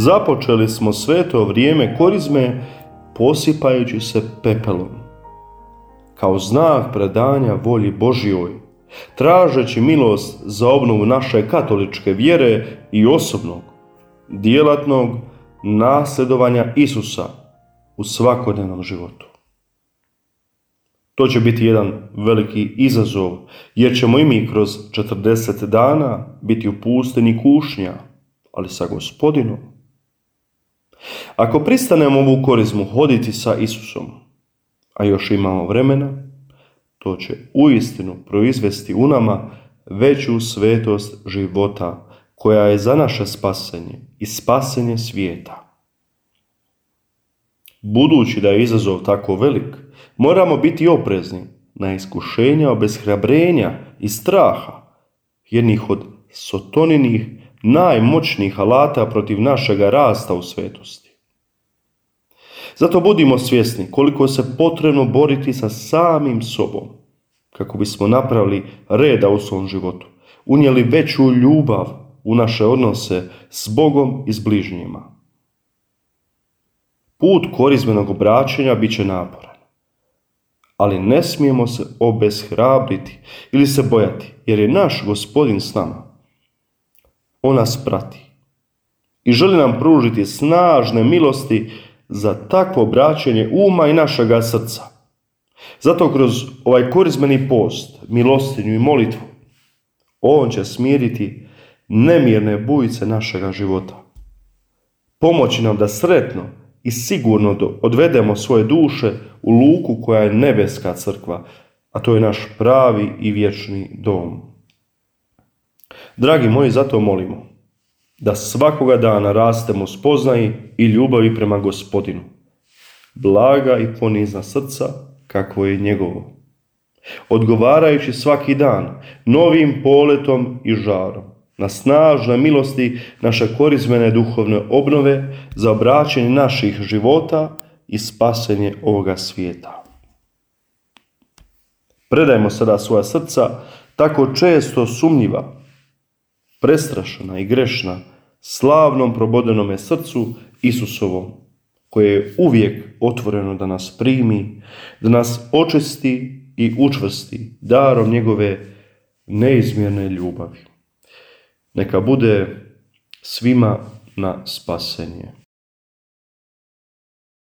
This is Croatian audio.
Započeli smo sveto vrijeme korizme posipajući se pepelom, kao znak predanja volji Božjoj, tražeći milost za obnovu naše katoličke vjere i osobnog, djelatnog nasljedovanja Isusa u svakodnevnom životu. To će biti jedan veliki izazov, jer ćemo i mi kroz 40 dana biti u pustinji kušnja, ali sa Gospodinom. Ako pristanemo ovu korizmu hoditi sa Isusom, a još imamo vremena, to će uistinu proizvesti u nama veću svetost života koja je za naše spasenje i spasenje svijeta. Budući da je izazov tako velik, moramo biti oprezni na iskušenja obeshrabrenja i straha, jednih od Sotoninih najmoćnijih alata protiv našega rasta u svetosti. Zato budimo svjesni koliko se potrebno boriti sa samim sobom, kako bismo napravili reda u svom životu, unijeli veću ljubav u naše odnose s Bogom i s bližnjima. Put korizmenog obraćanja bit će naporan, ali ne smijemo se obeshrabriti ili se bojati, jer je naš Gospodin s nama. On nas prati i želi nam pružiti snažne milosti za takvo obraćanje uma i našega srca. Zato kroz ovaj korizmeni post, milostinju i molitvu, on će smiriti nemirne bujice našega života. Pomoći nam da sretno i sigurno odvedemo svoje duše u luku koja je nebeska crkva, a to je naš pravi i vječni dom. Dragi moji, zato molimo da svakoga dana rastemo u spoznaji i ljubavi prema Gospodinu. Blaga i ponizna srca, kakvo je njegovo. Odgovarajući svaki dan novim poletom i žarom na snažne milosti naše korizmene duhovne obnove za obraćanje naših života i spasenje ovoga svijeta. Predajmo sada svoja srca, tako često sumnjiva, prestrašena i grešna, slavnom probodenome srcu Isusovom, koje je uvijek otvoreno da nas primi, da nas očisti i učvrsti darom njegove neizmjerne ljubavi. Neka bude svima na spasenje.